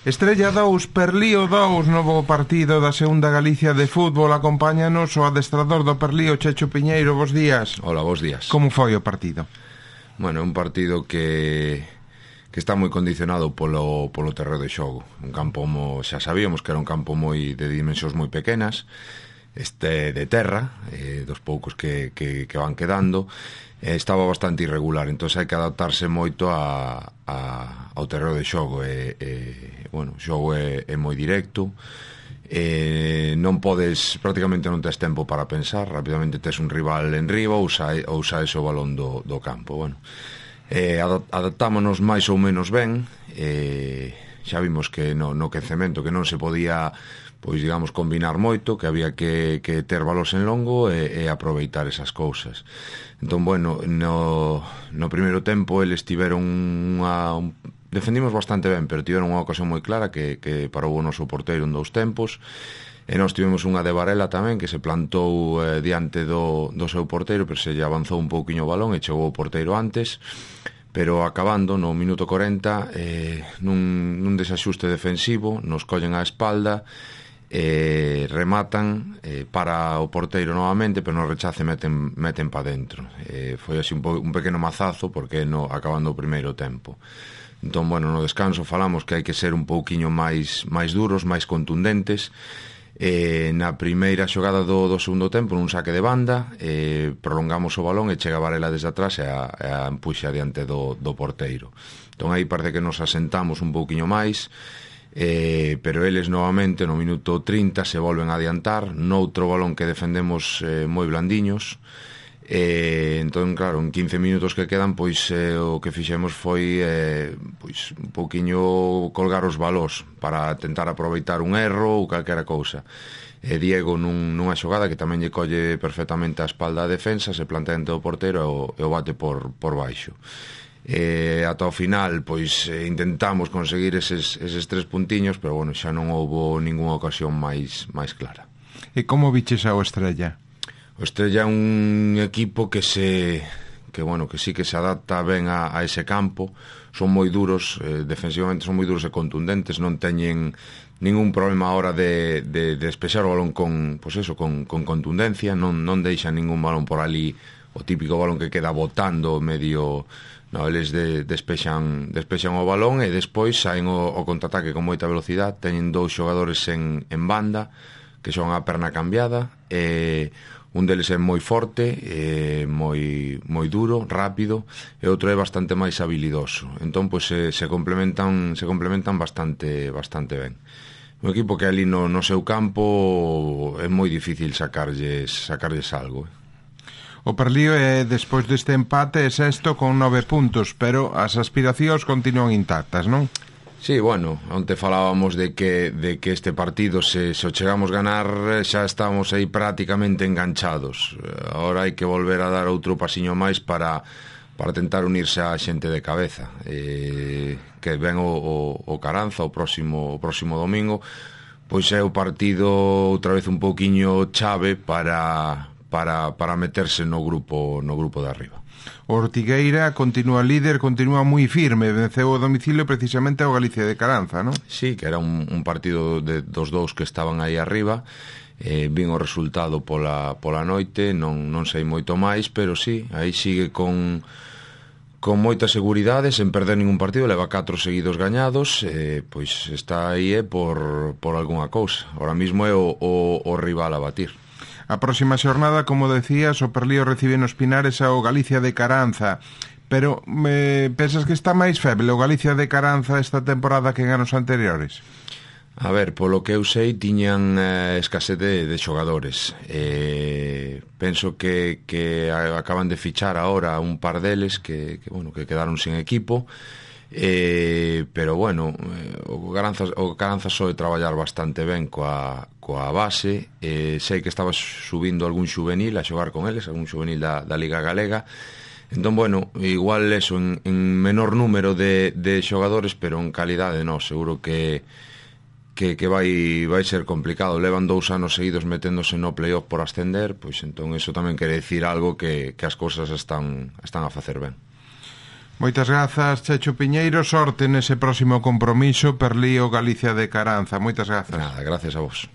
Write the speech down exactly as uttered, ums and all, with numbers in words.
Estrella dous, Perlío dous, novo partido da segunda Galicia de fútbol. Acompáñanos o adestrador do Perlío, Checho Piñeiro. Bos días. Hola, bos días. Como foi o partido? Bueno, un partido que que está moi condicionado polo, polo terreo de xogo. Un campo, mo, xa sabíamos que era un campo moi de dimensións moi pequenas, este de terra, eh, dos poucos que, que, que van quedando. Eh, estaba bastante irregular, entón hai que adaptarse moito a, a, ao terreo de xogo. E, e, bueno, o xogo é, é moi directo, e non podes, prácticamente non tes tempo para pensar, rapidamente tes un rival en riba ou saes ou saes o balón do, do campo. Bueno, eh, adaptámonos máis ou menos ben, e xa vimos que no, no quecemento que non se podía, pois digamos, combinar moito, que había que, que ter balos en longo e, e aproveitar esas cousas. Entón, bueno, no, no primeiro tempo eles tiveron unha... Un, defendimos bastante ben, pero tiveron unha ocasión moi clara que, que parou o noso porteiro en dous tempos, e nós tivemos unha de Varela tamén que se plantou eh, diante do, do seu porteiro, pero se lle avanzou un pouquiño o balón e chegou o porteiro antes, pero acabando no minuto corenta, eh, nun, nun desaxuste defensivo, nos collen a espalda, eh, rematan, eh, para o porteiro novamente, pero no rechace meten, meten pa dentro. Eh, foi así un, po, un pequeno mazazo, porque no, acabando o primeiro tempo. Entón, bueno, no descanso falamos que hai que ser un pouquiño máis, máis duros, máis contundentes. Eh, na primeira xogada do, do segundo tempo, nun saque de banda, eh, prolongamos o balón e chega Varela desde atrás e a, e a empuxa diante do, do porteiro. Entón aí parece que nos asentamos un pouquiño máis, eh, pero eles novamente no minuto trinta se volven a adiantar noutro balón que defendemos eh, moi blandiños. E, entón, claro, en quince minutos que quedan, pois eh, o que fixemos foi eh, pois un pouquiño colgar os balós para tentar aproveitar un erro ou calquera cousa. E Diego nun, nunha xogada que tamén lle colle perfectamente a espalda a defensa, se plantea dentro do portero e o, e o bate por, por baixo. E ata o final, pois eh, intentamos conseguir eses, eses tres puntiños, pero bueno, xa non houbo ningunha ocasión máis, máis clara. E como biches ao Estrella? O Estrella é un equipo que se que bueno, que sí que se adapta ben a, a ese campo. Son moi duros, eh, defensivamente son moi duros e contundentes, non teñen ningún problema a hora de, de, de despexar o balón con, pues eso, con, con contundencia, non, non deixan ningún balón por ali, o típico balón que queda botando medio. No, eles de, despexan, despexan o balón e despois saen o, o contraataque con moita velocidade. Teñen dous xogadores en, en banda que son a perna cambiada, e un deles é moi forte, é moi, moi duro, rápido, e outro é bastante máis habilidoso. Entón, pois, se, se complementan se complementan bastante bastante ben. Un equipo que ali no, no seu campo é moi difícil sacarlles, sacarlles algo. Eh. O Perlío é, despois deste empate, é sexto con nove puntos, pero as aspiracións continúan intactas, non? Sí, bueno, onte falábamos de que, de que este partido, se, se o chegamos ganar, xa estamos aí prácticamente enganchados. Ahora hai que volver a dar outro pasiño máis para, para tentar unirse á xente de cabeza. Eh, que ven o, o, o Caranza o próximo, o próximo domingo, pois é o partido outra vez un pouquiño chave para, para, para meterse no grupo, no grupo de arriba. O Ortigueira continúa líder, continúa moi firme, venceu o domicilio precisamente ao Galicia de Caranza, non? Sí, que era un, un partido de, dos dous que estaban aí arriba. Eh, vin o resultado pola, pola noite, non, non sei moito máis, pero sí, aí sigue con, con moita seguridade, sen perder ningún partido, leva catro seguidos gañados, eh, pois está aí eh, por, por algunha cousa. Ahora mismo é o, o, o rival a batir. A próxima xornada, como decías, o Perlío recibe nos Pinares ao Galicia de Caranza. Pero me pensas que está máis feble o Galicia de Caranza esta temporada que en anos anteriores? A ver, polo que eu sei, tiñan eh, escasez de, de xogadores. Eh, penso que, que acaban de fichar ahora un par deles que, que, bueno, que quedaron sin equipo. Eh, pero bueno, o Caranza, o Caranza soe traballar bastante ben coa, coa base. eh, sei que estaba subindo algún xuvenil a xogar con eles, algún xuvenil da, da Liga Galega. Entón, bueno, igual eso en, en menor número de, de xogadores, pero en calidade non, seguro que que, que vai, vai ser complicado. Levan dous anos seguidos meténdose no playoff por ascender, pois entón eso tamén quere decir algo, que, que as cousas están, están a facer ben. Moitas grazas, Checho Piñeiro, sorte nese próximo compromiso, Perlío Galicia de Caranza. Moitas grazas. Nada, gracias a vos.